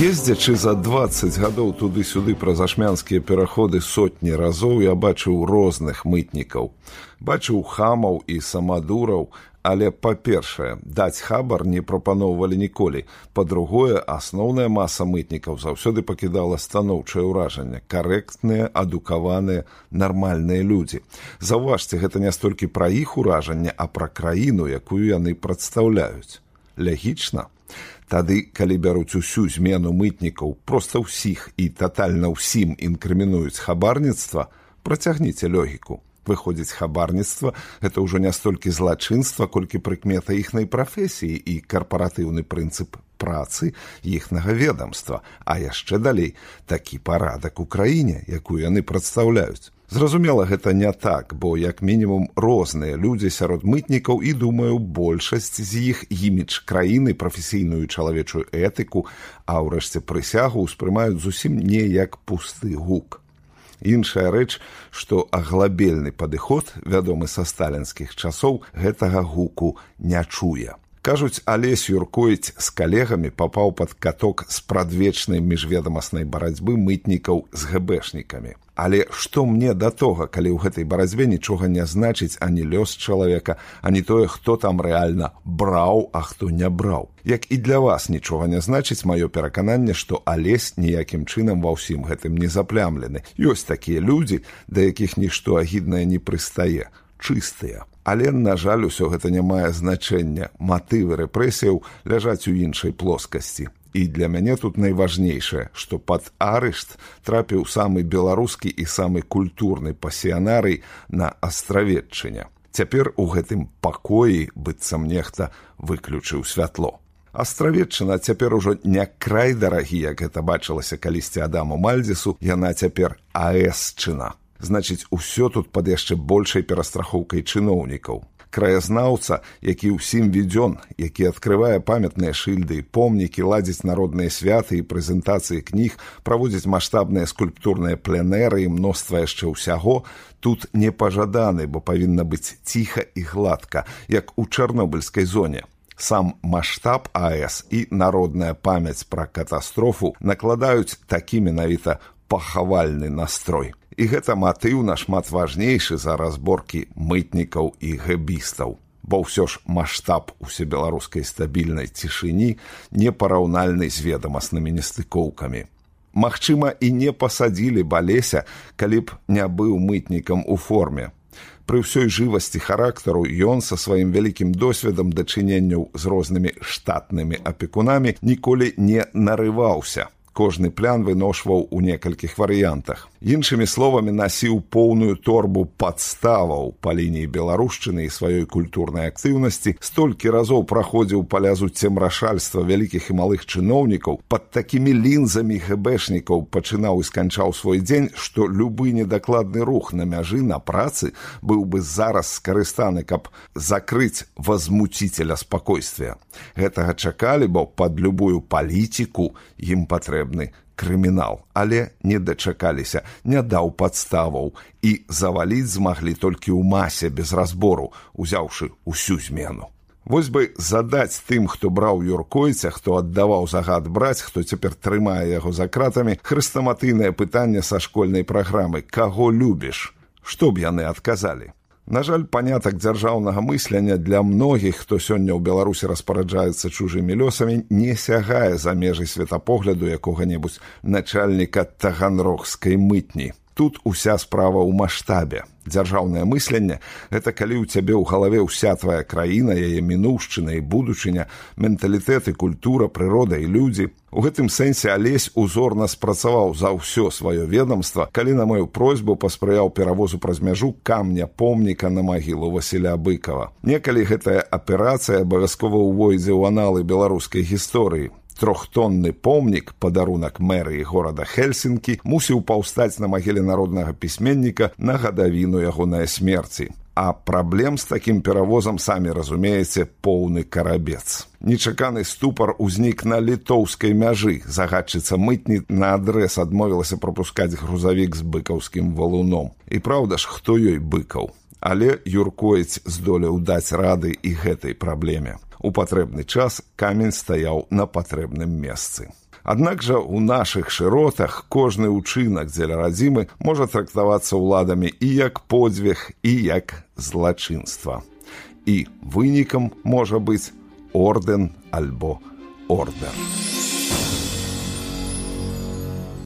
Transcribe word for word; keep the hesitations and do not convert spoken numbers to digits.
Ездзячы за дваццаць гадоў туды-сюды праз ашмянскія пераходы сотні разоў, я бачыў розных мытнікаў. Бачыў хамаў і самадураў, але, па-першае, даць хабар не прапаноўвалі ніколі. Па-другое, асноўная маса мытнікаў заўсёды пакідала станоўчае ўражанне. Карэктныя, адукаваныя, нармальныя людзі. Заўважце, гэта не столькі пра іх уражанне, а пра краіну, якую яны прадстаўляюць. Лягічна? Тады, калі бяруць усю змену мытнікаў, проста ўсіх і татальна ўсім інкрымінуюць хабарніцтва, працягніце логіку. Выходзіць, хабарніцтва – гэта ўжо не столькі злачынства, колькі прыкмета іхнай прафесіі і карпаратыўны прынцып працы іхнага ведамства, а яшчэ далей такі парадак у краіне, якую яны прадстаўляюць. Зразумела, гэта не так, бо як мінімум розныя людзі сярод мытнікаў і, думаю, большасць з іх імідж краіны, прафесійную чалавечую этыку, а ўрэшце прысягу ўспрымаюць зусім не як пусты гук. Іншая рэч, што аглабельны падыход, вядомы са сталінскіх часоў, гэтага гуку не чуе. Кажуць, Алесь Юркоіць з калегамі папаў пад каток з прадвечнай міжведамаснай барацьбы мытнікаў з гэбэшнікамі. Але што мне да того, калі ў гэтай барацьбе нічога не значыць ані лёс чалавека, ані тое, хто там рэальна браў, а хто не браў. Як і для вас нічога не значыць маё перакананне, што Алесь ніякім чынам ва ўсім гэтым не заплямлены. Ёсць такія людзі, да якіх нішто агіднае не прыстае, чыстыя. Але, на жаль, усё гэта не мае значэння. Матывы рэпрэсіяў ляжаць у іншай плоскасці. І для мяне тут найважнейшае, што пад арышт трапіў самы беларускі і самы культурны пасіянарый на Астравеччыне. Цяпер у гэтым пакоі, быццам нехта, выключыў святло. Астравеччына цяпер ужо не край дарагі, як гэта бачылася калісьці Адаму Мальдзесу, яна цяпер АЭСчына. Значыць, усё тут пад яшчэ большай перастрахоўкай чыноўнікаў. Краязнаўца, які ўсім ведзён, які адкрывае памятныя шыльды і помнікі, ладзіць народныя святы і прэзентацыі кніг, праводзіць маштабныя скульптурныя пленэры і мноства яшчэ ўсяго, тут не пажаданы, бо павінна быць ціха і гладка, як у чарнобыльскай зоне. Сам маштаб АЭС і народная памяць пра катастрофу накладаюць такі менавіта пахавальны настрой. І гэта матыў нашмат важнейшы за разборкі мытнікаў і гэбістаў. Бо ўсё ж маштаб усебеларускай стабільнай цішыні непараўнальны з ведамаснымі нестыкоўкамі. Магчыма, і не пасадзілі б Алеся, калі б не быў мытнікам у форме. Пры ўсёй жывасці характару ён са сваім вялікім досведам дачыненняў з рознымі штатнымі апекунамі ніколі не нарываўся. Кожны плян выношваў у некалькіх варыянтах. Іншымі словамі, насіў поўную торбу падставаў па лініі беларушчыны і сваёй культурнай актыўнасці, столькі разоў праходзіў па лязу цемрашальства вялікіх і малых чыноўнікаў, пад такімі лінзамі гэбэшнікаў пачынаў і сканчаў свой дзень, што любы недакладны рух на мяжы на працы быў бы зараз скарыстаны, каб закрыць возмуцителя спакойствия. Гэтага чакалі, бо пад любую палітику ім патрэбны крымінал, але не дачакаліся, не даў падставаў і заваліць змаглі толькі ў масе без разбору, узяўшы усю змену. Вось бы задаць тым, хто браў Юркоіця, хто аддаваў загад браць, хто цяпер трымае яго за кратамі, хрэстаматыйнае пытанне са школьнай праграмы «Каго любіш?». Што б яны адказалі? На жаль, панятак дзяржаўнага мыслення для многіх, хто сёння ў Беларусі распараджаецца чужымі лёсамі, не сягае за межы светапогляду якога-небудзь начальніка таганрогскай мытні. Тут уся справа ў маштабе. Дзяржаўнае мысленне – гэта калі ў цябе ў галаве ўся твая краіна, яе мінуўшчына і будучыня, менталітэт і культура, прырода і людзі. У гэтым сэнсе Алесь узорна спрацаваў за ўсё сваё ведамства, калі на маю просьбу паспрыяў перавозу праз мяжу камня помніка на магілу Васіля Быкова. Некалі гэтая аперацыя абавязкова ўвойдзе ў аналы беларускай гісторыі. Трохтонны помнік, падарунак мэрыі горада Хельсінкі, мусіў паўстаць на магіле народнага пісьменніка на гадавіну ягонай смерці. А праблем з такім перавозам, самі разумееце, поўны карабец. Нечаканы ступар узнік на літоўскай мяжы. Загадчыца мытні наадрэз адмовілася прапускаць грузавік з быкаўскім валуном. І праўда ж, хто ёй быкаў? Але Юркоіць здолеў даць рады і гэтай праблеме. У патрэбны час камень стаяў на патрэбным месцы. Аднак жа ў нашых шыротах кожны ўчынак дзеля радзімы можа трактавацца ўладамі і як подзвіг, і як злачынства. І вынікам можа быць ордэн альбо ордэр.